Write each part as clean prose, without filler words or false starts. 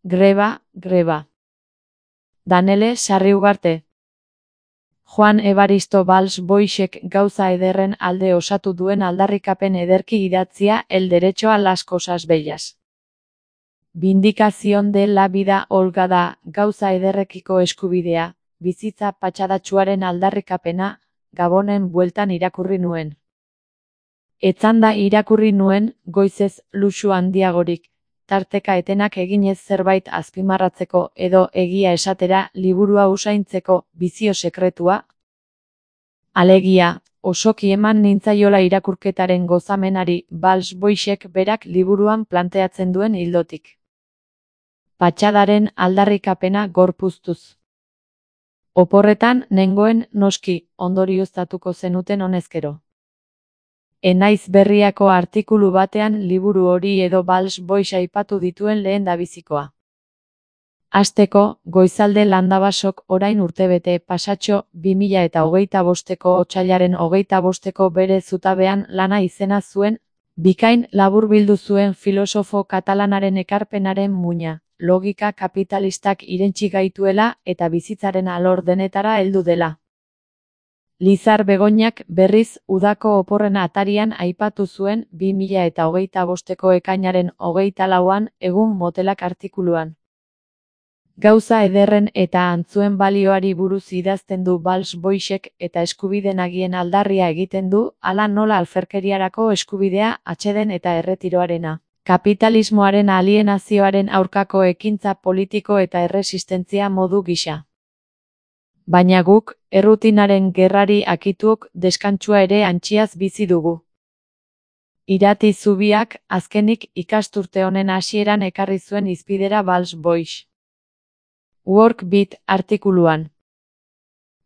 Greba. Danele Sarriugarte. Juan Evaristo Valls Boixek gauza ederren alde osatu duen aldarrikapen ederki idatzia El derecho a las cosas bellas. Vindicación de la vida holgada, gauza ederrekiko eskubidea, bizitza patxadatsuaren aldarrikapena, Gabonen bueltan irakurri nuen. Etzanda irakurri nuen, goizez luxu handiagorik, tarteka etenak eginez zerbait azpimarratzeko edo egia esatera liburua usaintzeko bizio sekretua. Alegia, osoki eman nintzaiola irakurketaren gozamenari Valls Boixek berak liburuan planteatzen duen ildotik. Patxadaren aldarrikapena gorpuztuz. Oporretan nengoen noski, ondorioztatuko zenuten honezkero. Enaiz berriako artikulu batean liburu hori edo Valls Boix aipatu dituen lehendabizikoa. Hasteko, Goizalde Landabasok orain urtebete pasatxo 2025ko otsailaren 25ko bere zutabean lana izena zuen, bikain laburbildu zuen filosofo katalanaren ekarpenaren muina, logika kapitalistak irentsi gaituela eta bizitzaren alor denetara heldu dela. Lizar Begoñak berriz udako oporren atarian aipatu zuen 2025ko ekainaren 24an egun motelak artikuluan. Gauza ederren eta antzuen balioari buruz idazten du Valls Boixek eta eskubide nagien aldarria egiten du, hala nola alferkeriarako eskubidea atseden eta erretiroarena. Kapitalismoaren alienazioaren aurkako ekintza politiko eta erresistentzia modu gisa. Baina guk, errutinaren gerrari akituok deskantsua ere antxiaz bizi dugu. Irati zubiak, azkenik ikasturte honen hasieran ekarri zuen hizpidera Valls Boix. Workbeat artikuluan.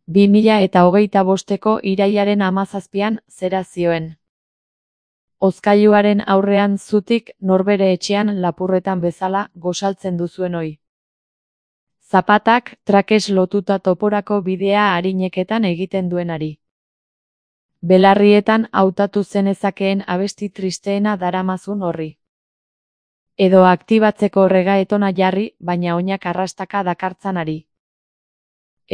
2025ko irailaren 17an zera zioen. Hozkailuaren aurrean zutik norbere etxean lapurretan bezala gosaltzen duzuen oi. Zapatak trakes lotuta toporako bidea arineketan egiten duenari. Belarrietan hautatu zenezakeen abesti tristeena daramazun horri. Edo aktibatzeko regaetona jarri, baina oinak arrastaka dakartzanari.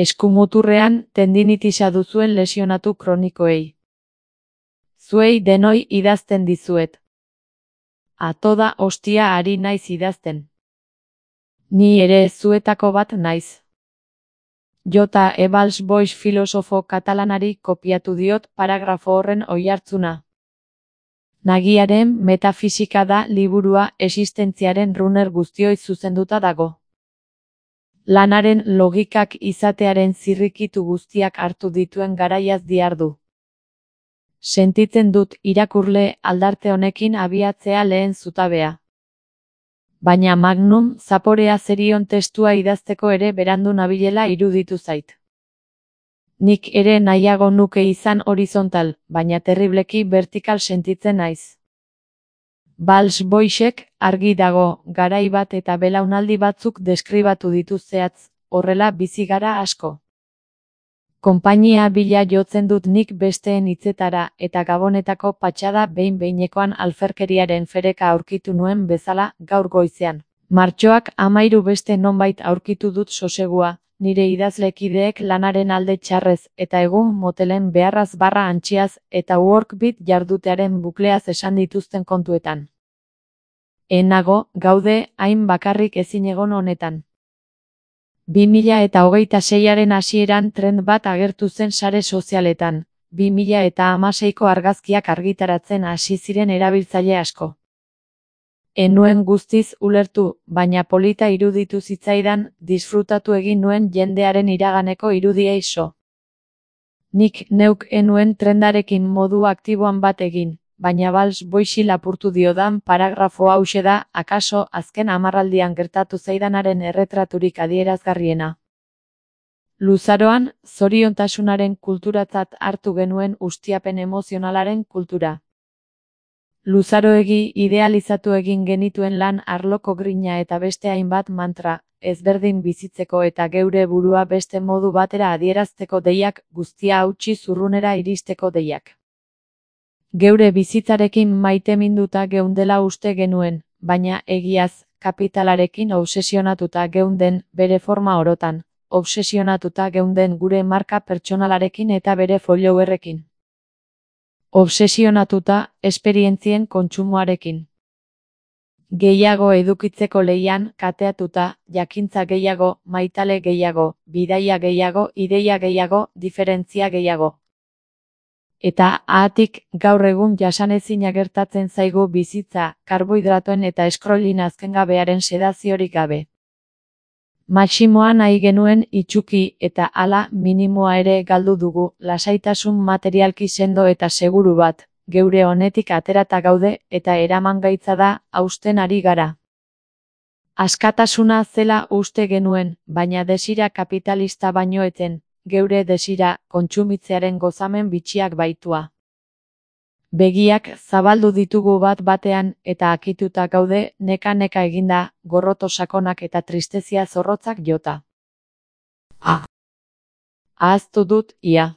Eskumuturrean tendinitisa duzuen lesionatu kronikoei. Zuei denoi idazten dizuet. A toda hostia ari naiz idazten. Ni ere zuetako bat naiz. J. E. Valls Boix filosofo katalanari kopiatu diot paragrafo horren oihartzuna. Nagiaren metafisika da liburua existentziaren runner guztioi zuzenduta dago. Lanaren logikak izatearen zirrikitu guztiak hartu dituen garaiaz diardu. Sentitzen dut irakurle aldarte honekin abiatzea lehen zutabea. Baina magnum zaporea zerion testua idazteko ere berandu nabilela iruditu zait. Nik ere nahiago nuke izan horizontal, baina terribleki vertikal sentitzen naiz. Valls Boixek argi dago, garai bat eta belaunaldi batzuk deskribatu ditu zehatz, horrela bizi gara asko. Konpainia bila jotzen dut nik besteen hitzetara eta Gabonetako patxada behin-behinekoan alferkeriaren fereka aurkitu nuen bezala gaur goizean. Martxoak 13 beste nonbait aurkitu dut sosegua, nire idazlekideek lanaren alde txarrez eta egun motelen beharraz barra antxiaz eta workbeat jardutearen bukleaz esan dituzten kontuetan. Nago, gaude, hain bakarrik ezin egon honetan. 2026aren hasieran trend bat agertu zen sare sozialetan, 2016ko argazkiak argitaratzen hasi ziren erabiltzaile asko. Enuen guztiz ulertu, baina polita iruditu zitzaidan, disfrutatu egin nuen jendearen iraganeko irudiei so. Nik neuk enuen trendarekin modu aktiboan bat egin, baina Valls Boixi lapurtu diodan paragrafo hauxe da, akaso azken hamarraldian gertatu zaidanaren erretraturik adierazgarriena. Luzaroan, zoriontasunaren kulturatzat hartu genuen ustiapen emozionalaren kultura. Luzaroegi idealizatu egin genituen lan arloko grina eta beste hainbat mantra, ezberdin bizitzeko eta geure burua beste modu batera adierazteko deiak, guztia hautsi zurrunera iristeko deiak. Geure bizitzarekin maiteminduta geundela uste genuen, baina egiaz, kapitalarekin obsesionatuta geunden bere forma orotan, obsesionatuta geunden gure marka pertsonalarekin eta bere followerrekin. Obsesionatuta esperientzien kontsumoarekin. Gehiago edukitzeko lehian kateatuta, jakintza gehiago, maitale gehiago, bidaia gehiago, ideia gehiago, diferentzia gehiago. Eta haatik gaur egun jasanezina gertatzen zaigu bizitza, karbohidratoen eta scrollin azkengabearen sedaziorik gabe. Maximoa nahi genuen itsuki eta hala minimoa ere galdu dugu, lasaitasun materialki sendo eta seguru bat, geure honetik aterata gaude eta eramangaitza da hausten ari gara. Askatasuna zela uste genuen, baina desira kapitalista baino etzen, geure desira kontsumitzearen gozamen bitxiak baitua. Begiak zabaldu ditugu bat batean eta akituta gaude neka-neka eginda, gorroto sakonak eta tristezia zorrotzak jota. Ahaztu dut, ia.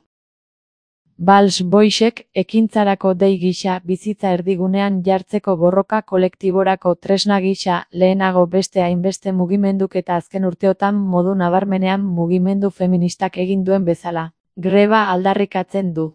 Bals Boysek ekintzarako dei gisa bizitza erdigunean jartzeko borroka kolektiborako tresna gisa lehenago beste hainbeste mugimenduk eta azken urteotan modu nabarmenean mugimendu feministak egin duen bezala. Greba aldarrikatzen du.